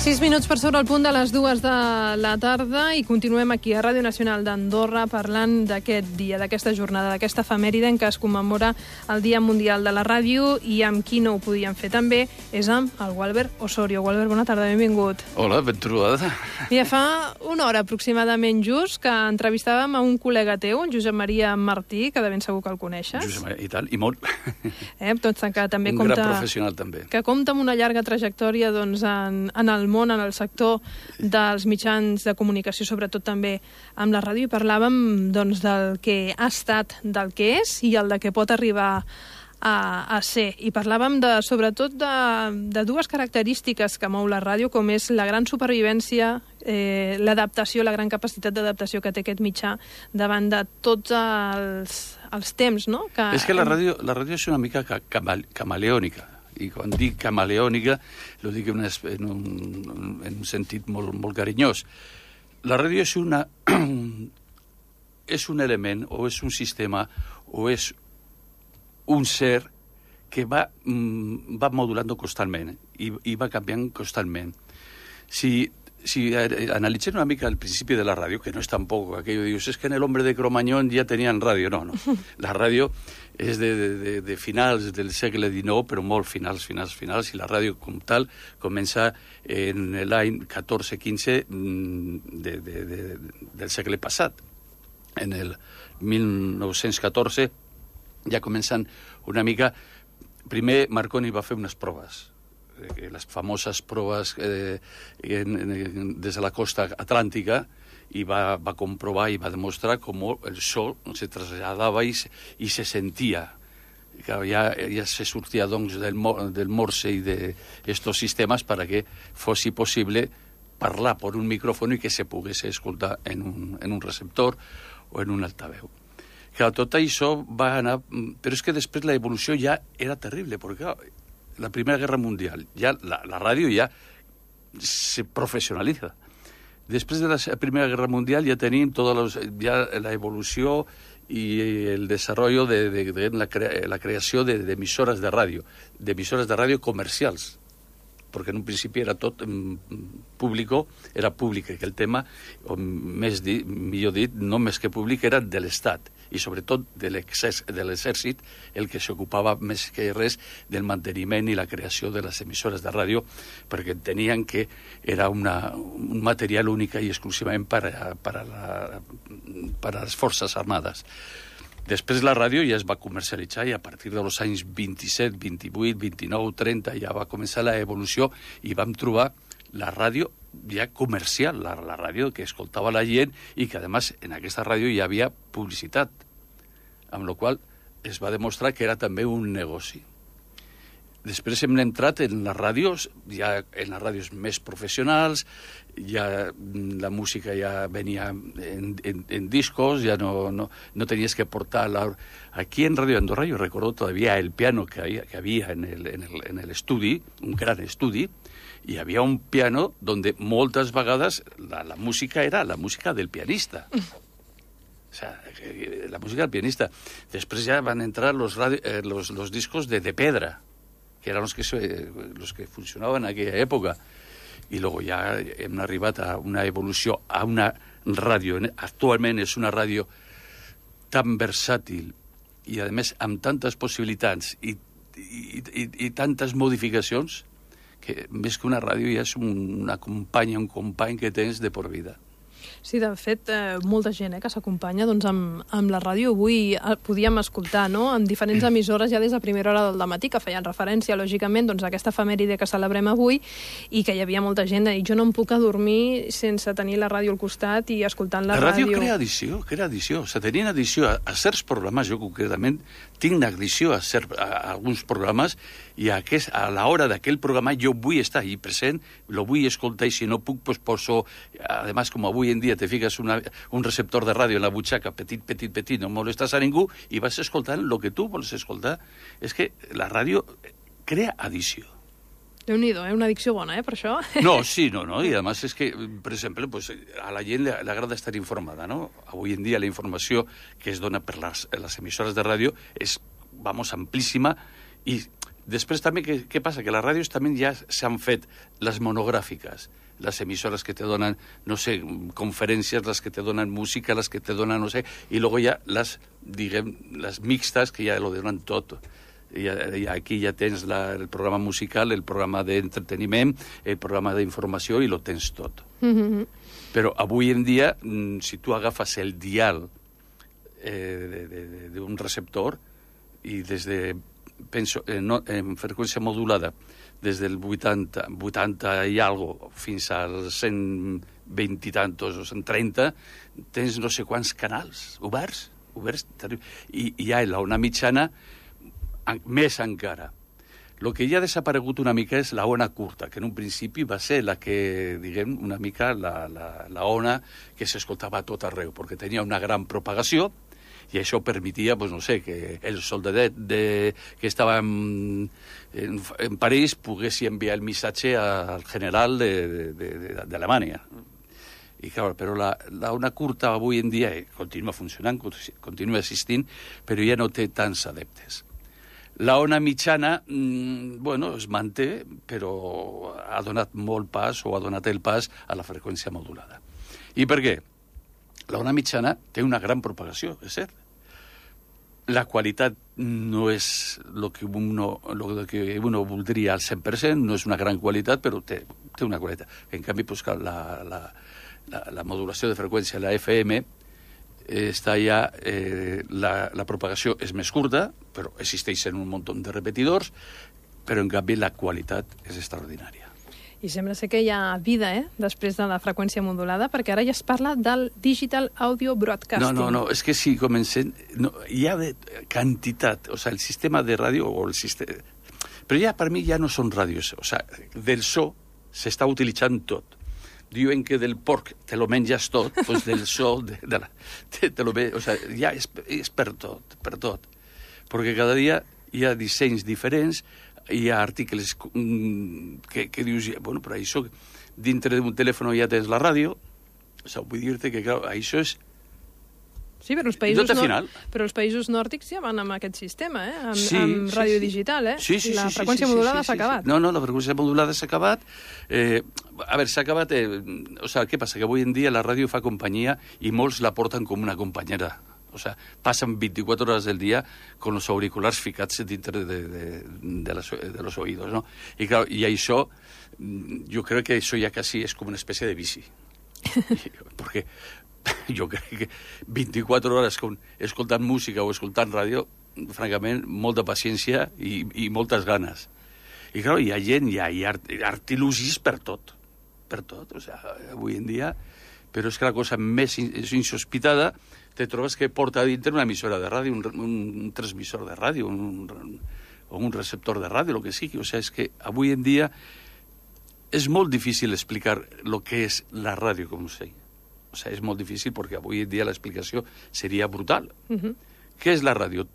6 minuts per sobre el punt de les 2 de la tarda i continuem aquí a Ràdio Nacional d'Andorra parlant d'aquest dia, d'aquesta jornada, d'aquesta efemèride en què es commemora el Dia Mundial de la Ràdio, i amb qui no ho podíem fer també és amb el Gualbert Osorio. Gualbert, bona tarda, benvingut. Hola, ben trobada. Mira, fa una hora aproximadament just que entrevistàvem a un col·lega teu, en Josep Maria Martí, que de ben segur que el coneixes. Josep Maria, i tant, i molt. Doncs que també un gran professional, també. Que compta amb una llarga trajectòria doncs, en el món, en el sector dels mitjans de comunicació, sobretot també amb la ràdio, i parlàvem doncs, del que ha estat, del que és i el de què pot arribar a ser. I parlàvem sobretot de dues característiques que mou la ràdio, com és la gran supervivència, l'adaptació, la gran capacitat d'adaptació que té aquest mitjà davant de tots els temps, no? És que la ràdio és una mica camaleònica. I quan dic camaleònica, ho dic en un sentit molt carinyós. La ràdio és un element, o és un sistema, o és un ser que va modulant constantment i va canviant constantment. Si analitzem una mica el principi de la ràdio, que no és tampoc aquello de dius, es que en el hombre de Cromañón ja tenien ràdio. No. La ràdio és de finals del segle XIX, però molt finals, i la ràdio com tal comença en l'any 14-15 del segle passat. En el 1914 ja comencen una mica... Primer Marconi va fer unes proves, les famoses proves des de la costa atlàntica, i va comprovar i va demostrar com el so se traslladava i se sentia. Ja se sortia doncs, del Morse i d'estos sistemes perquè fos possible parlar per un micròfon i que se pogués escoltar en un receptor o en un altaveu. Clar, tot això va anar... Però és que després la evolució ja era terrible, perquè la Primera Guerra Mundial, ja la ràdio ja se professionalitza. Després de la Primera Guerra Mundial ja tenim ja la evolució i el desenvolupament de la creació d'emissores de ràdio comercials, perquè en un principi era tot públic, que el tema, o millor dit, no més que públic, era de l'Estat, i sobretot de l'exèrcit, el que s'ocupava més que res del manteniment i la creació de les emissores de ràdio, perquè entenien que era un material únic i exclusivament per a les forces armades. Després la ràdio ja es va comercialitzar i a partir dels anys 27, 28, 29, 30 ja va començar l'evolució i vam trobar la ràdio ja comercial, la ràdio que escoltava la gent i que, a més, en aquesta ràdio hi havia publicitat, amb la qual es va demostrar que era també un negoci. Després hem entrat en les ràdios, ja en les ràdios més professionals, ja la música ja venia en discos, ja no tenies que portar... Aquí en Ràdio Andorra jo recordo todavía el piano que había en el estudi, un gran estudi, i hi havia un piano donde moltes vegades la música era la música del pianista. O sea, la música del pianista. Després ja van entrar los discos de pedra, que eren los que funcionaven en aquella època. I luego ja hem arribat a una evolució, a una ràdio. Actualment és una ràdio tan versàtil i, a més, amb tantes possibilitats i tantes modificacions que més que una ràdio ja és una companya, un company que tens de por vida. Sí, de fet, molta gent que s'acompanya doncs, amb la ràdio. Avui podíem escoltar en diferents emissores ja des de primera hora del matí, que feien referència, lògicament, doncs, a aquesta efemèride que celebrem avui, i que hi havia molta gent i jo no em puc adormir sense tenir la ràdio al costat i escoltant la ràdio. La ràdio crea addició. O sigui, tenien addició a certs programes. Jo concretament tinc addició a alguns programes i a l'hora d'aquell programa jo vull estar ahí present, lo vull escoltar, i si no puc, pues poso, además, com avui en dia te fiques un receptor de ràdio en la butxaca, petit, no molestes a ningú, i vas escoltant el que tu vols escoltar. És que la ràdio crea addició. Déu-n'hi-do, una addicció bona, per això. No, sí, no, i a més és que, per exemple, pues, a la gent li agrada estar informada, no? Avui en dia la informació que es dona per les emissores de ràdio és, amplíssima, i Després també, què passa? Que les ràdios també ja s'han fet les monogràfiques, les emissores que te donen, no sé, conferències, les que te donen música, les que te donen, no sé, i luego ja les, diguem, les mixtes, que ja lo donen tot. I aquí ja tens el programa musical, el programa d'entreteniment, el programa d'informació, i lo tens tot. Però avui en dia, si tu agafes el dial d'un receptor i des de, penso, en freqüència modulada, des del 80 i algo fins als 120 i tantos o 130, tens no sé quants canals oberts, i hi ha l'ona mitjana més encara. El que ja ha desaparegut una mica és la ona curta, que en un principi va ser la que, diguem, una mica la ona que s'escoltava a tot arreu, perquè tenia una gran propagació, i això permetia, pues, no sé, que el soldadet que estava en París pogués enviar el missatge al general d'Alemanya. I, clar, però la ona curta avui en dia continua funcionant, continua existint, però ja no té tants adeptes. La ona mitjana, bueno, es manté, però ha donat molt pas, o ha donat el pas a la freqüència modulada. I per què? La ona mitjana té una gran propagació, és cert. La qualitat no és el que uno voldria al 100%, no és una gran qualitat, però té una qualitat. En canvi, pues, la modulació de freqüència, la FM, està ja, la propagació és més curta, però existeixen un munt de repetidors, però en canvi la qualitat és extraordinària. I sembla ser que hi ha vida, després de la freqüència modulada, perquè ara ja es parla del Digital Audio Broadcasting. No, és que si comencem... No, hi ha de quantitat, o sigui, el sistema de ràdio, o el sistema... Però ja, per mi, ja no són ràdios, o sigui, del so s'està utilitzant tot. Diuen que del porc te lo menges tot, doncs del so te lo ve... O sigui, ja és per tot, perquè cada dia hi ha dissenys diferents, hi ha articles que dius, bueno, però això, dintre d'un telèfon ja tens la ràdio, o sigui, vull dir-te que, clar, això és... Sí, però els països nòrdics ja van amb aquest sistema, amb ràdio digital, Sí, la freqüència modulada s'ha acabat. No, la freqüència modulada s'ha acabat. A veure, s'ha acabat... O sigui, què passa? Que avui en dia la ràdio fa companyia i molts la porten com una companyera. O sea, pasan 24 horas del día con los auriculares ficats dintre de los oídos, ¿no? Y claro, y això, yo creo que eso ya casi es como una especie de bici. Porque yo creo que 24 horas escoltant música o escoltant ràdio, francament, molta paciència i moltes ganes. I claro, hi ha gent, hi ha artilugis per tot. O sea, avui en dia... Però és que la cosa més insospitada te trobes que porta a dintre una emissora de ràdio, un transmissor de ràdio, o un receptor de ràdio, el que sigui. O sigui, és que avui en dia és molt difícil explicar el que és la ràdio, com sé. O sigui, és molt difícil perquè avui en dia l'explicació seria brutal. Què és la ràdio?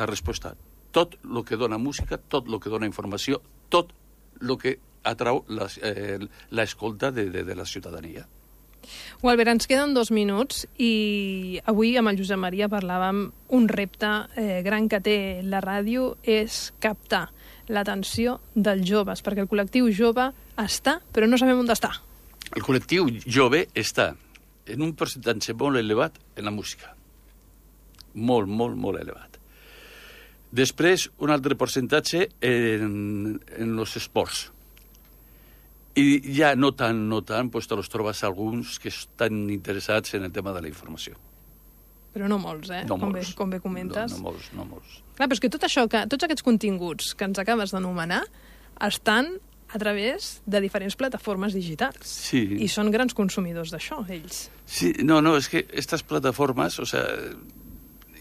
La resposta. Tot el que dona música, tot el que dona informació, tot el que atrau l'escolta de la ciutadania. Albert, ens queden 2 minuts i avui amb el Josep Maria parlàvem un repte gran que té la ràdio és captar l'atenció dels joves, perquè el col·lectiu jove està, però no sabem on està. El col·lectiu jove està en un percentatge molt elevat en la música. Molt, molt, molt elevat. Després, un altre percentatge en els esports. I ja no tant, doncs te los trobes alguns que estan interessats en el tema de la informació. Però no molts, No molts. Com bé comentes. No molts. Clar, però és que tot això, tots aquests continguts que ens acabes d'anomenar estan a través de diferents plataformes digitals. Sí. I són grans consumidors d'això, ells. Sí, no, és que aquestes plataformes, o sea,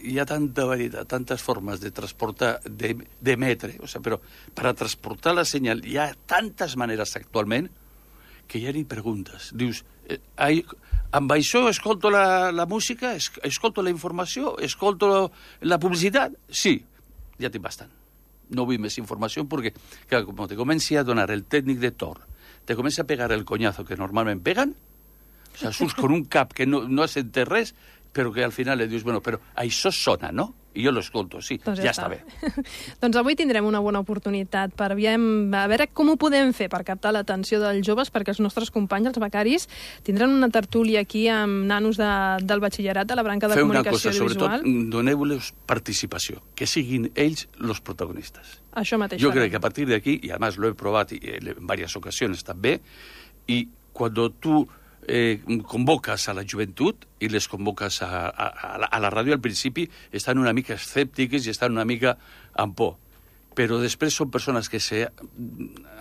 hi ha tanta varietat, tantes formes de transportar, d'emetre, o sea, però per a transportar la senyal hi ha tantes maneres actualment que ja ni preguntes. Dius, amb això escolto la música, escolto la informació, escolto la publicitat? Sí, ja tinc bastant. No vull més informació perquè, clar, com te comenci a donar el tècnic de Tor, te comença a pegar el coñazo que normalment peguen, o sea, surts con un cap que no has entès res, però que al final li dius, bueno, però això sona, no? i jo l'escolto, sí, doncs ja està bé. Doncs avui tindrem una bona oportunitat per a veure com ho podem fer per captar l'atenció dels joves, perquè els nostres companys, els becaris, tindran una tertúlia aquí amb nanos del batxillerat de la branca de comunicació audiovisual. Sobretot doneu-los participació, que siguin ells los protagonistes. Això mateix. Yo creo que a partir de aquí, y además lo he probado en varias ocasiones también, y cuando tú convocas a la juventud y les convocas a la ràdio, al principi estan una mica escèptiques i estan una mica amb por. Però després són persones que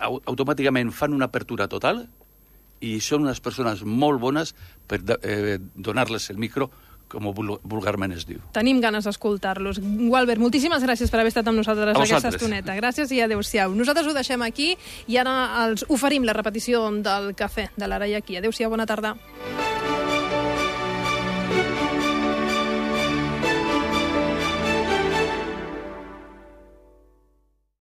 automàticament fan una apertura total i són unes persones molt bones per donar-les el micro, com vulgarment es diu. Tenim ganes d'escoltar-los. Gualbert, moltíssimes gràcies per haver estat amb nosaltres aquesta estoneta. Gràcies i adéu-siau. Nosaltres ho deixem aquí i ara els oferim la repetició del cafè de l'Ara i aquí. Adéu-siau, bona tarda.